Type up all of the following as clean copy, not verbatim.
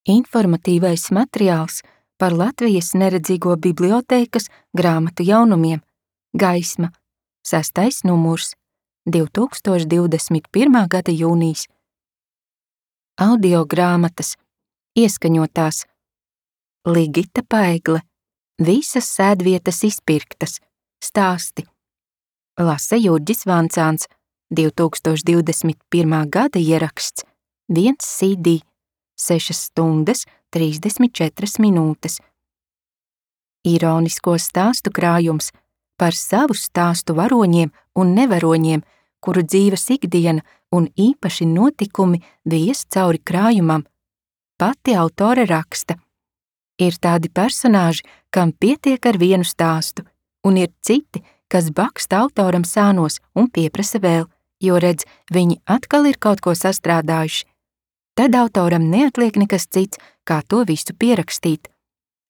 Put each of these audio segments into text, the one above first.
Informatīvais materiāls par Latvijas neredzīgo bibliotēkas grāmatu jaunumiem. Gaisma. 6. numurs. 2021. gada jūnijas. Audio grāmatas. Ieskaņotās. Ligita Paigle. Visas sēdvietas izpirktas. Stāsti. Lasa Jurģis Vancāns. 2021. gada ieraksts. 1 CD. 6 stundas, 34 minūtes. Ironisko stāstu krājums par savu stāstu varoņiem un nevaroņiem, kuru dzīves ikdiena un īpaši notikumi vies cauri krājumam. Pati autore raksta. Ir tādi personāži, kam pietiek ar vienu stāstu, un ir citi, kas baksta autoram sānos un pieprasa vēl, jo redz, viņi atkal ir kaut ko sastrādājuši. Tad autoram neatliek nekas cits, kā to visu pierakstīt.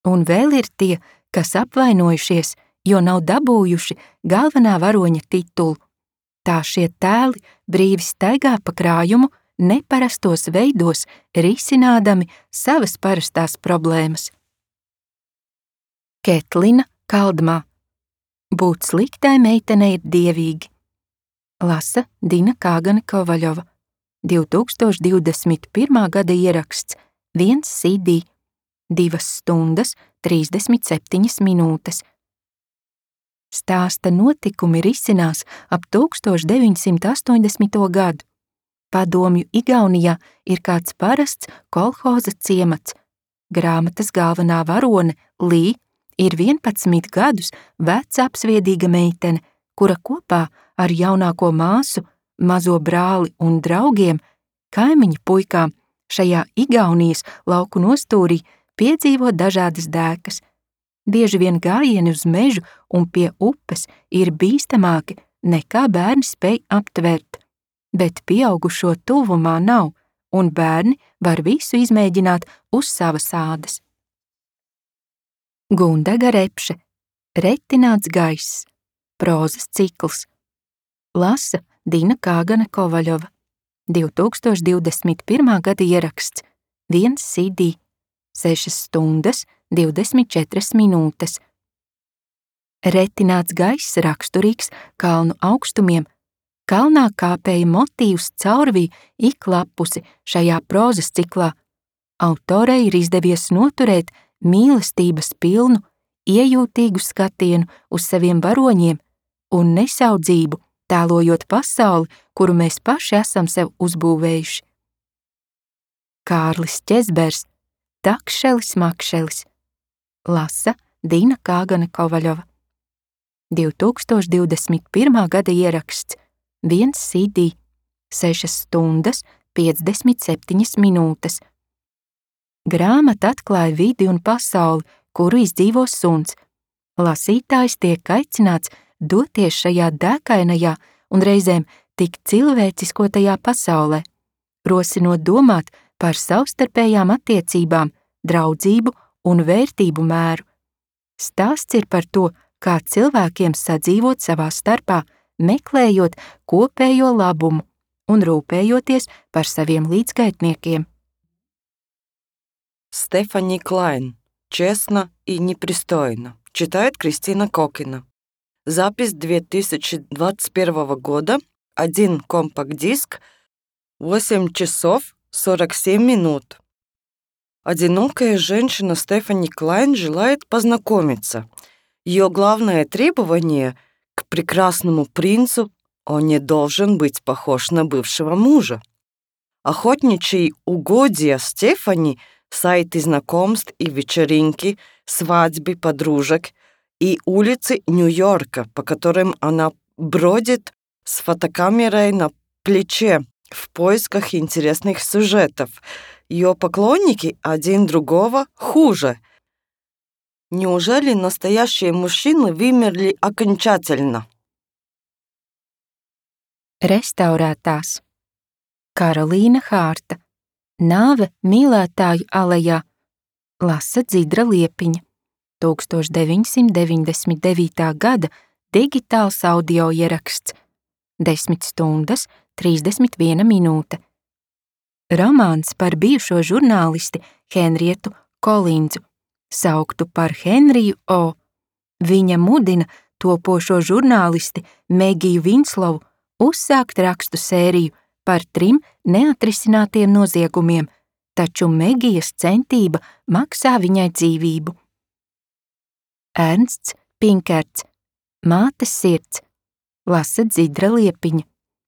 Un vēl ir tie, kas apvainojušies, jo nav dabūjuši galvenā varoņa titulu. Tā šie tēli brīvi staigā pa krājumu, neparastos veidos, risinādami savas parastās problēmas. Ketlina Kaldmā. Būt sliktai meitenei ir dievīgi. Lasa Dina Kāgane Kovaļova. 2021. gada ieraksts. 1 CD. 2 stundas, 37 minūtes. Stāsta notikumi risinās ap 1980. gadu. Padomju Igaunijā ir kāds parasts kolhoza ciemats. Grāmatas galvenā varone Lī ir 11 gadus veca apsviedīga meitene, kura kopā ar jaunāko māsu, mazo brāli un draugiem, kaimiņu puikām šajā Igaunijas lauku nostūrī piedzīvo dažādas dēkas. Bieži vien gājieni uz mežu un pie upes ir bīstamāki nekā bērni spēj aptvert, bet pieaugušo tuvumā nav, un bērni var visu izmēģināt uz savas ādas. Gundaga Repše. Retināts gaiss. Prozas cikls. Lasa Dina Kāgane Kovaļova. 2021. gada ieraksts. 1 CD. 6 stundas, 24 minūtes. Retināts gaiss raksturīgs kalnu augstumiem. Kalnā kāpēja motīvs caurvī ik lapusi šajā prozas ciklā. Autorei ir izdevies noturēt mīlestības pilnu, iejūtīgu skatienu uz saviem varoņiem un nesaudzību, tēlojot pasauli, kuru mēs paši esam sev uzbūvējuši. Kārlis Ķezbers. Takšelis makšelis. Lasa Dina Kāgane Kovaļova. 2021. gada ieraksts. 1 CD. 6 stundas, 57 minūtes. Grāmata atklāja vidi un pasauli, kuru izdzīvo suns. Lasītājs tiek aicināts doties šajā dēkainajā un reizēm tik cilvēciskotajā pasaulē, rosinot domāt par savstarpējām attiecībām, draudzību un vērtību mēru. Stāsts ir par to, kā cilvēkiem sadzīvot savā starpā, meklējot kopējo labumu un rūpējoties par saviem līdzgaitniekiem. Стефани Клайн. Честно и непристойно. Читает Кристина Кокина. Запись 2021 года. 1 компакт-диск. 8 часов 47 минут. Одинокая женщина Стефани Клайн желает познакомиться. Ее главное требование к прекрасному принцу – он не должен быть похож на бывшего мужа. Охотничьи угодья Стефани – сайты знакомств и вечеринки, свадьбы подружек и улицы Нью-Йорка, по которым она бродит с фотокамерой на плече в поисках интересных сюжетов. Ее поклонники один другого хуже. Неужели настоящие мужчины вымерли окончательно? Restaurētās. Karolīna Hārta. Nāve mīlētāju alejā. Lasa Dzidra Liepiņa. 1999. gada digitāls audio ieraksts. 10 stundas, 31 minūte. Romāns par bijušo žurnālisti Henrietu Kolindzu, sauktu par Henriju O. Viņa mudina topošo žurnālisti Megiju Vinslovu uzsākt rakstu sēriju par 3 neatrisinātiem noziegumiem, taču Megijas centība maksā viņai dzīvību. Ernsts Pinkerts, Mātes sirds, lasa Dzidra Liepiņa,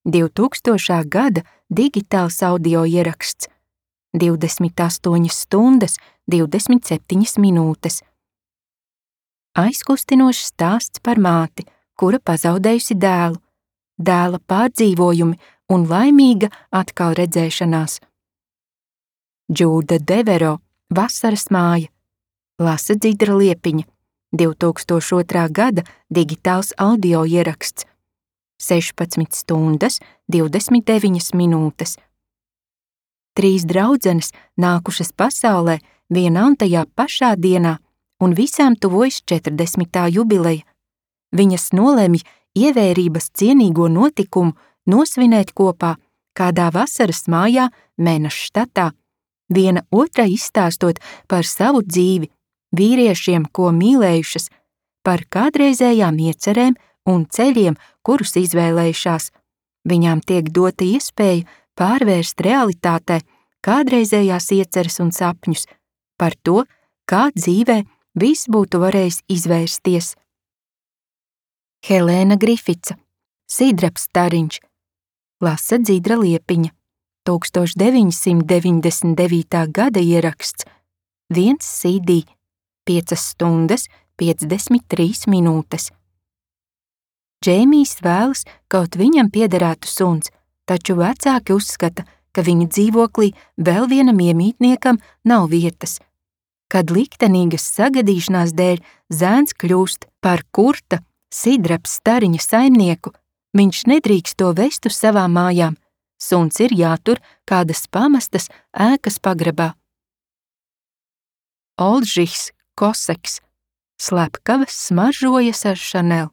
2000. gada digitāls audio ieraksts, 28 stundas, 27 minūtes. Aizkustinošs stāsts par māti, kura pazaudējusi dēlu, dēla pārdzīvojumi un laimīga atkal redzēšanās. Džūda Devero, Vasaras māja, lasa Dzidra Liepiņa, 2002. gada digitāls audio ieraksts, 16 stundas, 29 minūtes. 3 draudzenes nākušas pasaulē vienā un tajā pašā dienā, un visām tuvojas 40. jubileja. Viņas nolemj ievērības cienīgo notikumu nosvinēt kopā kādā vasaras mājā Menas štatā, viena otrai izstāstot par savu dzīvi, vīriešiem, ko mīlējušas, par kādreizējām iecerēm un ceļiem, kurus izvēlējušās. Viņām tiek dota iespēja pārvērst realitātē kādreizējās ieceres un sapņus par to, kā dzīvē viss būtu varējis izvērsties. Helēna Grifica, Sidrabs stariņš, lasa Dzidra Liepiņa, 1999. gada ieraksts, 1 CD, 5 stundas, 53 minūtes. Džēmijs vēlas, kaut viņam piederētu suns, taču vecāki uzskata, ka viņa dzīvoklī vēl vienam iemītniekam nav vietas. Kad liktenīgas sagadīšanās dēļ zēns kļūst par Kurta, Sidrabs stariņa saimnieku, viņš nedrīkst to vest uz savām mājām. Suns ir jātur kādas pamestas ēkas pagrabā. Oldžihs Koseks, slepkavas smaržojas ar Chanel,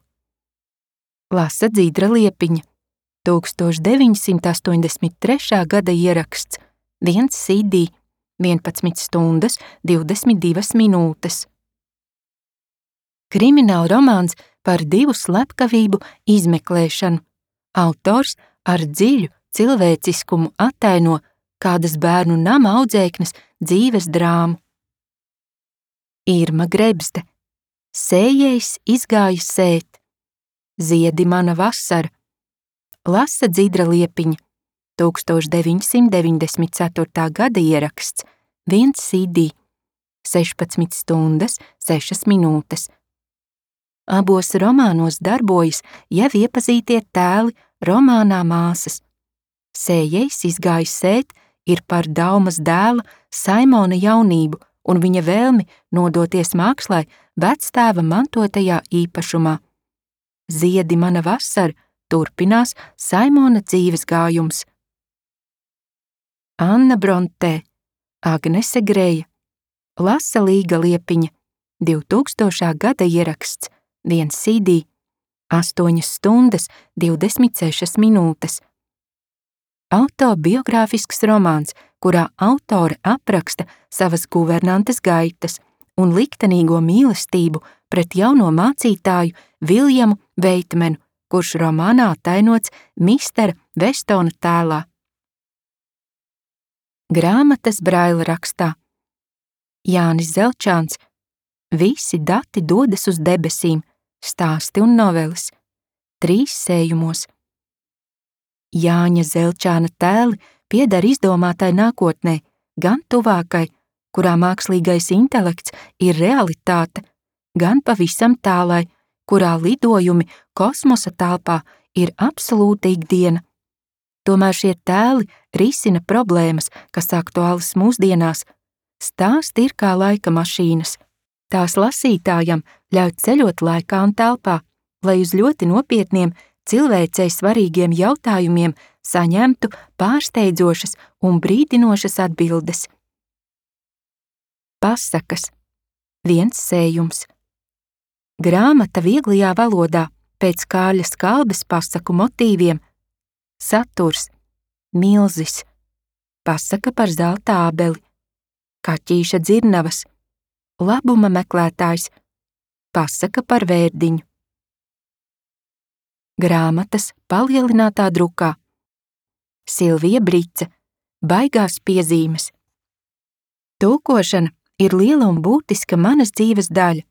lasa Dzidra Liepiņa, 1983. gada ieraksts, 1 CD, 11 stundas, 22 minūtes. Krimināla romāns par 2 slepkavību izmeklēšanu. Autors ar dziļu cilvēciskumu attaino kādas bērnu nama audzēknes dzīves drāmu. Irma Grebzde, Sējējs izgāja sēt, Ziedi mana vasara, lasa Dzidra Liepiņa, 1994. gada ieraksts, 1 CD, 16 stundas, 6 minūtes. Abos romānos darbojas jau iepazītie tēli romānā Māsas. Sējējs izgāja sēt ir par Daumas dēla Saimona jaunību un viņa vēlmi nodoties mākslai vectēva mantotajā īpašumā. Ziedi mana vasara turpinās Saimona dzīves gājums. Anna Brontē, Agnese Greja, lasa Līga Liepiņa, 2000. gada ieraksts, 1 CD, 8 stundas, 26 minūtes. Autobiogrāfisks romāns, kurā autore apraksta savas guvernantes gaitas un liktenīgo mīlestību pret jauno mācītāju Viljamu Veitmenu, kurš romānā attainots Mistera Vestona tēlā. Grāmatas Braila rakstā. Jānis Zelčāns, Visi dati dodas uz debesīm, stāsti un noveles, 3 sējumos. Jāņa Zelčāna tēli pieder izdomātai nākotnē, gan tuvākai, kurā mākslīgais intelekts ir realitāte, gan pavisam tālai, kurā lidojumi kosmosa telpā ir absolūta ikdiena. Tomēr šie tēli risina problēmas, kas aktuālas mūsdienās. Stāsti ir kā laika mašīnas. Tās lasītājam ļauj ceļot laikā un telpā, lai uz ļoti nopietniem cilvēcei svarīgiem jautājumiem saņemtu pārsteidzošas un brīdinošas atbildes. Pasakas, 1 sējums. Grāmata vieglajā valodā pēc Kārļa Skalbes pasaku motīviem. Saturs, milzis, pasaka par zelta ābeli. kaķīša dzirnavas, labuma meklētājs, pasaka par vērdiņu. Grāmatas palielinātā drukā. Silvija Brice, baigās piezīmes. Tulkošana ir liela un būtiska manas dzīves daļa.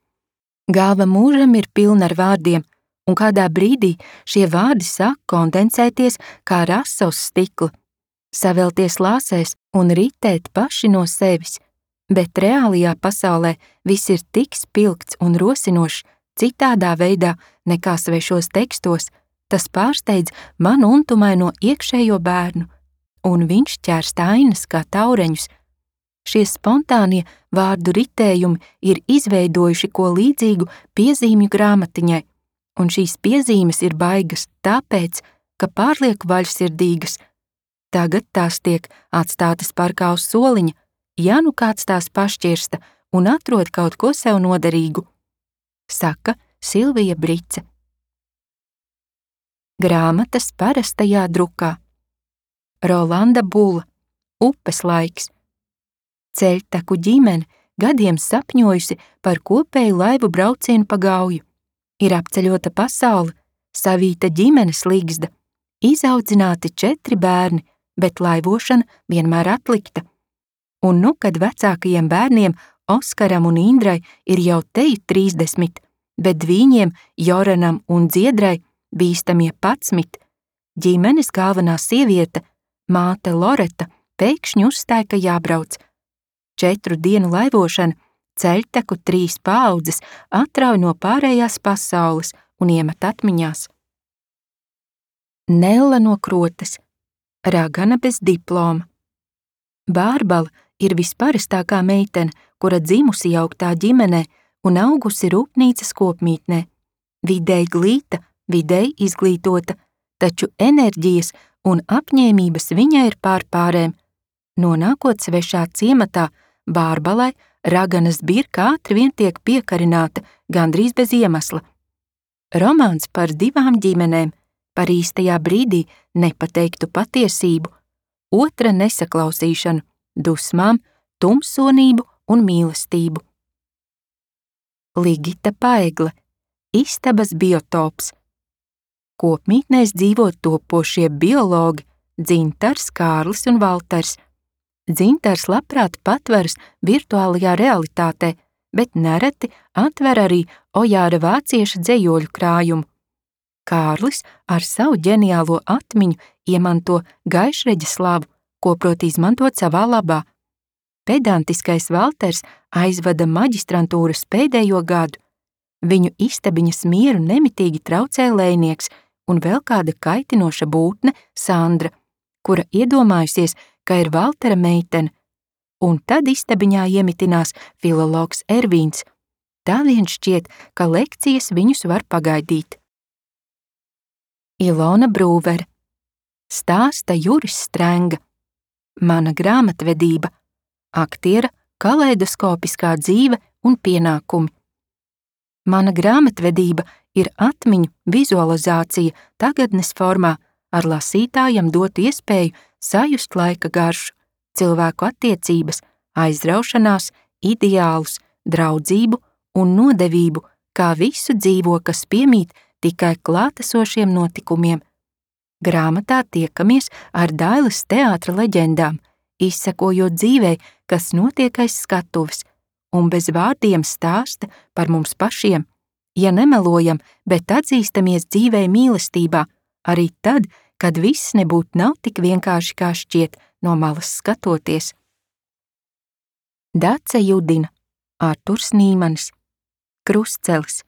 Galva mūžam ir pilna ar vārdiem, un kādā brīdī šie vārdi sāk kondensēties kā rasa uz stikla, savelties lāsēs un ritēt paši no sevis, bet reālajā pasaulē viss ir tik spilgts un rosinošs citādā veidā nekā svešos tekstos, tas pārsteidz manu untumaino iekšējo bērnu, un viņš ķērst ainas kā taureņus. Šie spontānie vārdu ritējumi ir izveidojuši ko līdzīgu piezīmju grāmatiņai, un šīs piezīmes ir baigas tāpēc, ka pārlieku vaļsirdīgas. Tagad tās tiek atstātas parkā uz soliņa, ja nu kāds tās pašķirsta un atrod kaut ko sev noderīgu, saka Silvija Brice. Grāmatas parastajā drukā. Rolanda Bula, Upes laiks. Ceļtaku ģimene gadiem sapņojusi par kopēju laivu braucienu pa Gauju. Ir apceļota pasaule, savīta ģimenes līgzda, izaudzināti 4 bērni, bet laivošana vienmēr atlikta. Un nu, kad vecākajiem bērniem Oskaram un Indrai ir jau teju 30, bet viņiem Joranam un Dziedrai bīstamie 11, ģimenes galvenā sieviete, māte Loreta, pēkšņi uzstāja, ka jābrauc. 4 dienu laivošana, ceļtaku 3 paaudzes atrauj no pārējās pasaules un iemet atmiņās. Nella no Krotes, ragana bez diploma. Bārbala ir visparastākā meitene, kura dzimusi jauktā ģimenē un augusi rūpnīcas kopmītnē. Vidēji glīta, vidēji izglītota, taču enerģijas un apņēmības viņai ir pārpārēm. Nonākot svešā ciematā, Bārbalai raganas birka ātri vien tiek piekarināta, gandrīz bez iemesla. Romāns par 2 ģimenēm, par īstajā brīdī nepateiktu patiesību, otra nesaklausīšanu, dusmām, tumsonību un mīlestību. Ligita Paegle, istabas biotops. Kopmītnēs dzīvo topošie biologi Dzintars, Kārlis un Valters. Dzintars labprāt patveras virtuālajā realitātē, bet nereti atver arī Ojāra vācieša dzejoļu krājumu. Kārlis ar savu ģeniālo atmiņu iemanto gaišreģa slavu, ko prot izmantot savā labā. Pedantiskais Valters aizvada maģistrantūras pēdējo gadu. Viņu istabiņas mieru nemitīgi traucē lejnieks un vēl kāda kaitinoša būtne Sandra, kura iedomājusies, ka ir Valtera meitene, un tad istabiņā iemitinās filologs Ervīns. Tā vien šķiet, ka lekcijas viņus var pagaidīt. Ilona Brūvere, stāsta Juris Strenga, mana grāmatvedība, aktiera kaleidoskopiskā dzīve un pienākumi. Mana grāmatvedība ir atmiņu vizualizācija tagadnes formā, ar lasītājam dot iespēju sajust laika garšu, cilvēku attiecības, aizraušanās, ideālus, draudzību un nodevību, kā visu dzīvo, kas piemīt tikai klātesošiem notikumiem. Grāmatā tiekamies ar Dailes teātra leģendām, izsekojot dzīvei, kas notiek aiz skatuves, un bez vārdiem stāsta par mums pašiem, ja nemelojam, bet atzīstamies dzīvei mīlestībā, arī tad, kad viss nebūtu nav tik vienkārši kā šķiet no malas skatoties. Dace Judina, Arturs Nīmanis, Krustcelis.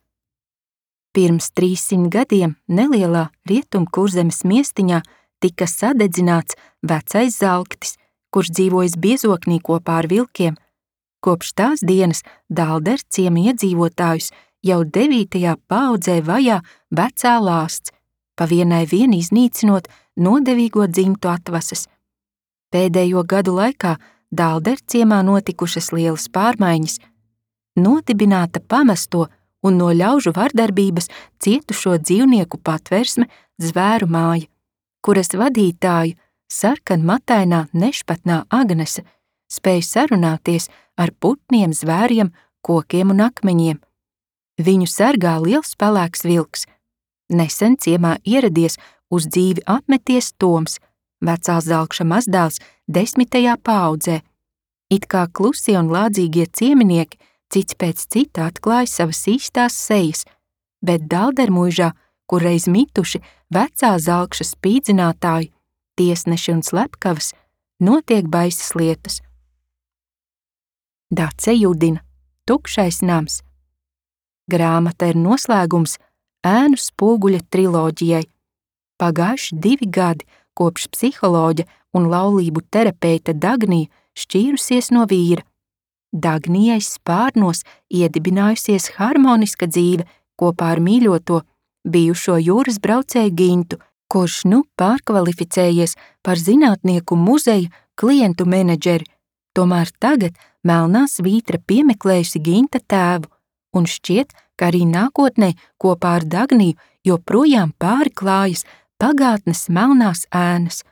Pirms 300 gadiem nelielā Rietumkurzemes miestiņā tika sadedzināts vecais Zalktis, kurš dzīvojis biezoknī kopā ar vilkiem. Kopš tās dienas Dālderu ciema iedzīvotājus jau 9. paaudzē vajā vecā lāsts, pa vienai vien iznīcinot nodevīgo dzimtu atvases. Pēdējo gadu laikā Dālderu ciemā notikušas lielas pārmaiņas. Nodibināta pamesto un no ļaužu vardarbības cietušo dzīvnieku patversme Zvēru māja, kuras vadītāja sarkanmatainā nešpatnā Agnese spēj sarunāties ar putniem, zvēriem, kokiem un akmeņiem. Viņu sargā liels pelēks vilks. Nesen ciemā ieradies uz dzīvi apmeties Toms, vecā Zalkša mazdēls 10. paaudzē. It kā klusie un lādzīgie cieminieki cits pēc cita atklāja savas īstās sejas, bet Daldermuižā, kur reiz mituši vecā Zalkša spīdzinātāji, tiesneši un slepkavas, notiek baisas lietas. Dace Judina, Tukšais nams. Grāmata ir noslēgums Ēnu spoguļa triloģijai. Pagājuši 2 gadi, kopš psiholoģa un laulību terapeita Dagnija šķīrusies no vīra. Dagnijai spārnos iedibinājusies harmoniska dzīve kopā ar mīļoto, bijušo jūras braucēju Gintu, kurš nu pārkvalificējies par zinātnieku muzeja klientu menedžeri, tomēr tagad melnā svītra piemeklējusi Ginta tēvu, un šķiet, ka arī nākotnē kopā ar Dagniju joprojām pāri klājas pagātnes melnās ēnas.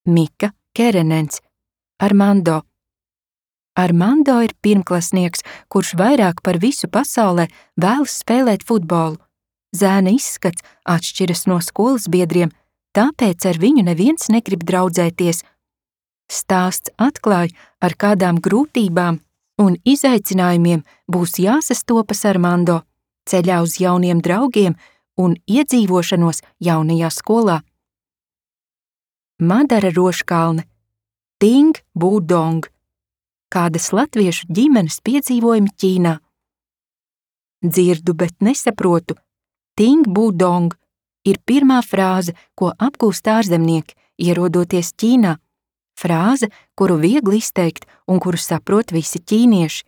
Mika Kerenens, Armando. Armando ir pirmklasnieks, kurš vairāk par visu pasaulē vēlas spēlēt futbolu. Zēna izskats atšķiras no skolas biedriem, tāpēc ar viņu neviens negrib draudzēties. Stāsts atklāja, ar kādām grūtībām un izaicinājumiem būs jāsastopas Armando ceļā uz jauniem draugiem un iedzīvošanos jaunajā skolā. Madara Roškalne, Ting Budong, kādas latviešu ģimenes piedzīvojumi Ķīnā. Dzirdu, bet nesaprotu. Ting Budong ir pirmā frāze, ko apgūst ārzemnieki, ierodoties Ķīnā. Frāze, kuru viegli izteikt un kuru saprot visi ķīnieši.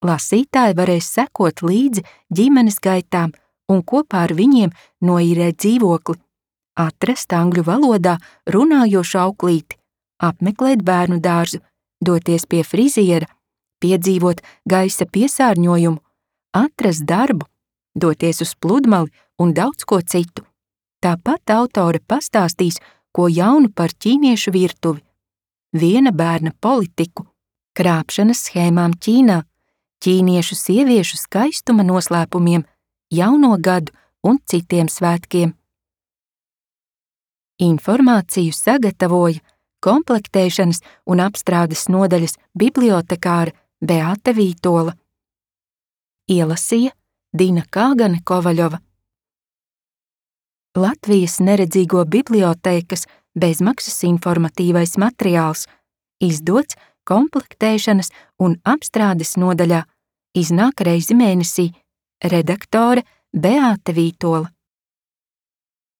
Lasītāji varēs sekot līdzi ģimenes gaitām un kopā ar viņiem noīrēt dzīvokli, atrast angļu valodā runājošu auklīti, apmeklēt bērnu dārzu, doties pie friziera, piedzīvot gaisa piesārņojumu, atrast darbu, doties uz pludmali un daudz ko citu. Tāpat autore pastāstīs, ko jaunu par ķīniešu virtuvi, viena bērna politiku, krāpšanas schēmām Ķīnā, ķīniešu sieviešu skaistuma noslēpumiem, jauno gadu un citiem svētkiem. Informāciju sagatavoja komplektēšanas un apstrādes nodaļas bibliotekāra Beāte Vītola. Ielasīja Dina Kāgane Kovaļova. Latvijas neredzīgo bibliotēkas bezmaksas informatīvais materiāls, izdots komplektēšanas un apstrādes nodaļā, iznāk reizi mēnesī, redaktore Beāte Vītola.